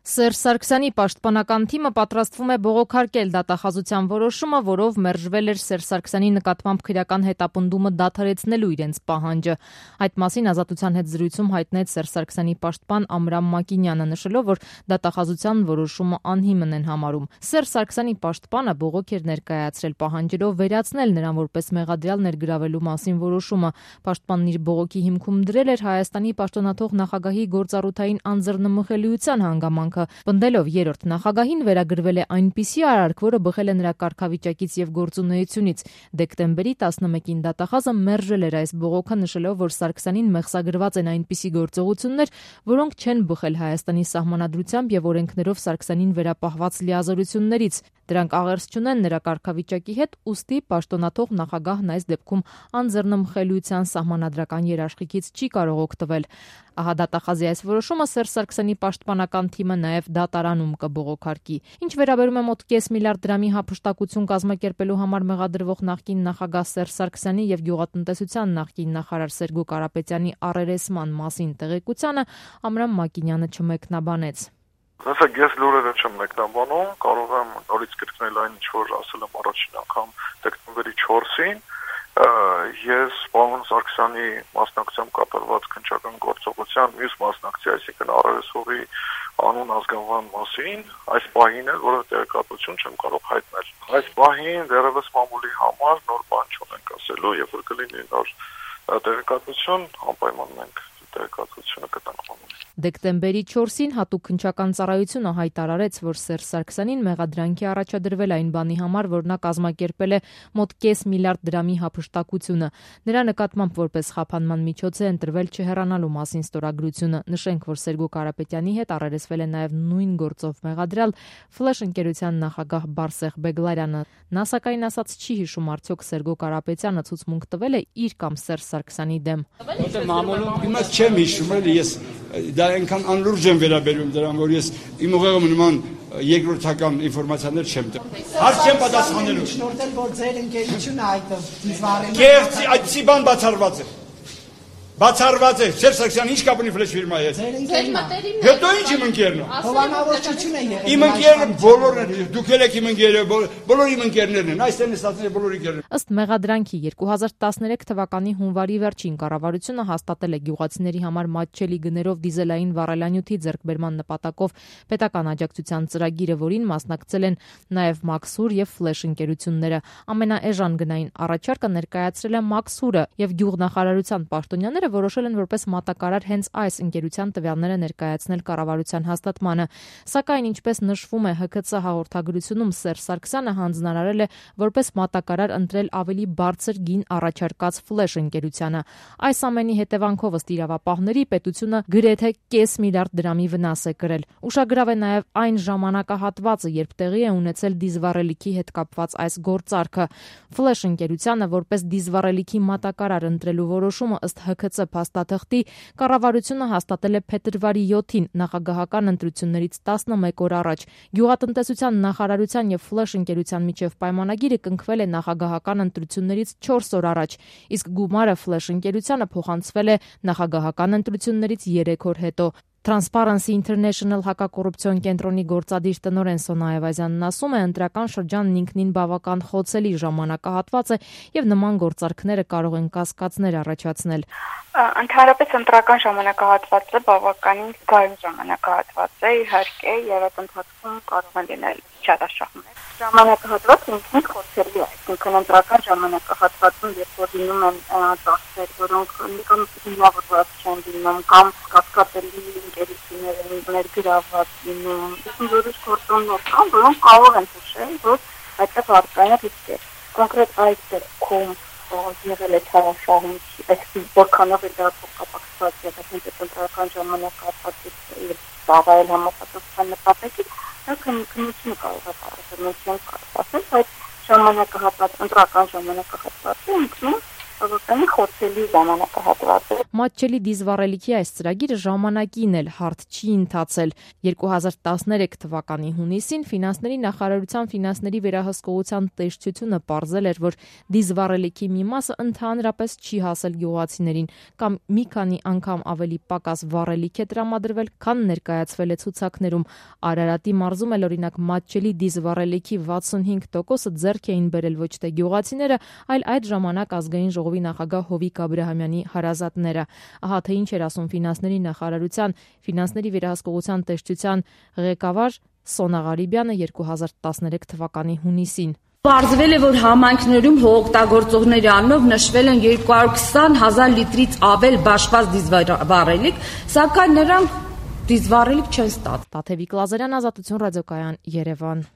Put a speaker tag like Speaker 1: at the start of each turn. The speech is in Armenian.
Speaker 1: Սերժ Սարգսյանի պաշտպանական թիմը պատրաստվում է բողոքարկել դատախազության որոշումը, որով մերժվել էր Սերժ Սարգսյանի նկատմամբ քրեական հետապնդումը դադարեցնելու իրենց պահանջը։ Այդ մասին Ազատության հետ զրույցում հայտնեց Սերժ Սարգսյանի պաշտպան Ամրամ Մակինյանը, նշելով, որ դատախազության որոշումը անհիմն են համարում։ Սերժ Սարգսյանի պաշտպանը բողոք էր ներկայացրել, պահանջելով վերացնել նրան որպես մեղադրյալ ներգրավելու մասին որոշումը։ Պաշտպանն իր բողոքի հիմքում դրել էր Հայաստանի պաշտոնաթող նախագահի գործառութային անձեռնմխելիության հանգամանքը, պնդելով երրորդ նախագահին վերագրվել է այնպիսի արարք, որը բխել է նրա կարգավիճակից եւ գործունեությունից։ Դեկտեմբերի 11-ին դատախազը մերժել էր այս բողոքը, նշելով, որ Սարգսյանին մեղսագրված են այնպիսի գործողություններ, որոնք չեն բխել Հայաստանի սահմանադրությամբ եւ օրենքներով Սարգսյանին վերապահված լիազորություններից։ Դրանք աղերս չունեն նրա կարգավիճակի հետ, ուստի պաշտոնաթող նախագահն այս դեպքում անձեռնմխելիության սահմանադրական երաշխիքից չի կարող օգտվել։ Ահա դատախազի այս որոշումը Սերժ Սարգսյանի պաշտպանական թիմը նաև դատարանում կբողոքարկի։ Ինչ վերաբերում է մոտ կես միլիարդ դրամի հափշտակություն կազմակերպելու համար մեղադրվող նախկին նախագահ Սերժ Սարգսյանի եւ գյուղատնտեսության նախկին նախարար Սերգո Կարապետյանի առերեսման մասին տեղեկությանը, Ամրամ Մակինյանը չմեկնաբանեց։
Speaker 2: Ասեք, ես լուրերը չեմ մեկնաբանում, կարող եմ նորից կրկնել այն, ինչ որ ասել եմ առաջին անգամ դեկտեմբերի 4-ին, ես պարոն Սարգսյանի մասնակցությամբ կատարված քննչական գործողության մյուս մասնակցի, այսինքն առերեսողի անուն ազգանվան մասին, այս պահին էլ որևէ տեղեկատվություն չեմ կարող հայտնել։ Այս պահին դեռևս մամուլի համար նոր բան չունենք ասելու, երբ որ կլինի նոր տեղեկատվություն, անպայման մենք տեղեկատվությունը կտանք մամուլին։
Speaker 1: Դեկտեմբերի 4-ին հատուկ քննչական ծառայությունը հայտարարեց, որ Սերժ Սարգսյանին մեղադրանքի առաջադրվել այն բանի համար, որ նա կազմակերպել է մոտ կես միլիարդ դրամի հափշտակությունը։ Նրա նկատմամբ որպես խափանման միջոց է ընտրվել չհեռանալու մասին ստորագրությունը։ Նշենք, որ Սերգո Կարապետյանի հետ առերեսվել է նաև նույն գործով մեղադրյալ Ֆլեշ ընկերության նախագահ Բարսեղ Բեգլարյանը։ Նա սակայն ասաց չի հիշում արդյոք Սերգո Կարապետյանը ցուցմունք տվել է իր կամ Սերժ Սարգսյանի դեմ։
Speaker 3: Հիմա չեմ հիշում, ես դա այնքան անլուրջ եմ վերաբերում դրան, որ ես իմ ուղեղում նման երկրորդական ինֆորմացիաներ չեմ տվել։ Հարց չեմ պատասխանելու։
Speaker 4: Շնորհել, որ ձեր ընկերությունը այդտեղ դիզվարել։
Speaker 3: Կեղծի, այդպիսի բան բացառված է։ Բացառված է, Սերժ Սարգսյանը ինչ կապ ունի Ֆլեշ ֆիրմայի հետ։ Հետո ինչ իմ ընկերն է։
Speaker 4: Հովանավորչություն է եղել։
Speaker 3: Իմ ընկերը բոլորն են, դուք եք իմ ընկերը, բոլոր իմ ընկերներն են, այստեղ նստածները բոլոր ընկերներ։
Speaker 1: Ըստ մեղադրանքի 2013 թվականի հունվարի վերջին կառավարությունը հաստատել է գյուղացիների համար մատչելի գներով դիզելային վառելանյութի ձեռքբերման նպատակով պետական աջակցության ծրագիրը, որին մասնակցել են նաև Մաքսուր եւ Ֆլեշ ընկերությունները։ Ամենաէժան գնային առաջարկը ներկայացրել է Մաքսուրը եւ գյուղնախարարության պաշտոնյաները որոշել են որպես մատակարար հենց այս ընկերության տվյալները ներկայացնել կառավարության հաստատմանը։ Սակայն, ինչպես նշվում է ՀՔՑ հաղորդագրությունում, Սերժ Սարգսյանը հանձնարարել է որպես մատակարար ընտրել ավելի բարձր գին առաջարկած Ֆլեշ ընկերությանը։ Այս ամենի հետևանքով ըստ իրավապահների պետությունը գրեթե կես միլիարդ դրամի վնաս է կրել։ Ուշագրավ է նաև այն ժամանակահատվածը, երբ տեղի է ունեցել դիզվառելիքի հետ կապված այս գործարքը։ Ֆլեշ ընկերությանը որպես դիզվառելիքի մատակարար ընտրելու որոշումը ըստ ՀՔՑ փաստաթղթի կառավարությունը հաստատել է փետրվարի 7-ին նախագահական ընտրություններից 11 օր առաջ։ Գյուղատնտեսության նախարարության եւ Ֆլեշ ընկերության միջև պայմանագիրը կնքվել է նախագահական ընտրություններից 4 օր առաջ, իսկ գումարը Ֆլեշ ընկերությանը փոխանցվել է նախագահական ընտրություններից 3 օր հետո։ Transparency International հակակոռուպցիոն կենտրոնի գործադիր տնօրեն Սոնա Այվազյանն ասում է, ընտրական շրջանն ինքնին բավական խոցելի ժամանակահատված է եւ նման գործարքները կարող են կասկածներ առաջացնել։
Speaker 5: Ընդհանրապես ընտրական ժամանակահատվածը բավականին գայուն ժամանակահատված է, իհարկե, եւ այդ ընթացքում կարող են լինել չարաշահումներ։ Ժամանակահատվածը ինքնին խոցելի է, այսինքն ընտրական ժամանակահատվածում, երբ որ լինում են ծախսեր, որոնք կամ հիմնավորված չեն լինում, կամ կասկածելի ընկերություններ են ներգրավված լինում, որոշ գործոններ կան, որոնք կարող են հուշել, որ այդտեղ առկա է ռիսկեր։ Կոնկրետ այս դեպքում եղել է չարաշահում, այսինքն որքանով է դա կապակցված եղել ընտրական ժամանակահատվածից եւ ծառայել համապատասխան նպատակին, դա քննությունը կարող է պատասխանել, բայց ժամանակահատված, ընտրական ժամանակահատվածը ինքնին բավականին խոցելի ժամանակահատված է։
Speaker 1: Մատչելի դիզվառելիքի այս ծրագիրը ժամանակին էլ հարթ չի ընթացել։ 2013 թվականի հունիսին Ֆինանսների նախարարության ֆինանսների վերահսկողության տեսչությունը պարզել էր, որ դիզվառելիքի մի մասը ընդհանրապես չի հասել գյուղացիներին կամ մի քանի անգամ ավելի պակաս վառելիք է տրամադրվել, քան ներկայացվել է ցուցակներում։ Արարատի մարզում էլ օրինակ մատչելի դիզվառելիքի 65%-ը ձեռք էին բերել ոչ թե գյուղացիները, այլ այդ ժամանակ ազգային ժողովի նախագահ Հովիկ Աբրահամյանի հարազատները։ Ահա թե ինչ էր ասում Ֆինանսների նախարարության ֆինանսների վերահսկողության տեսչության ղեկավար Սոնա Ղարիբյանը 2013 թվականի հունիսին։
Speaker 6: Պարզվել է, որ համայնքներում հողօգտագործողների անունով նշվել են 220,000 լիտրից ավել բաշխված դիզվառելիք, սակայն նրանք դիզվառելիք չեն ստացել։
Speaker 1: Տաթևիկ Լազարյան, Ազատություն ռադիոկայան, Երևան։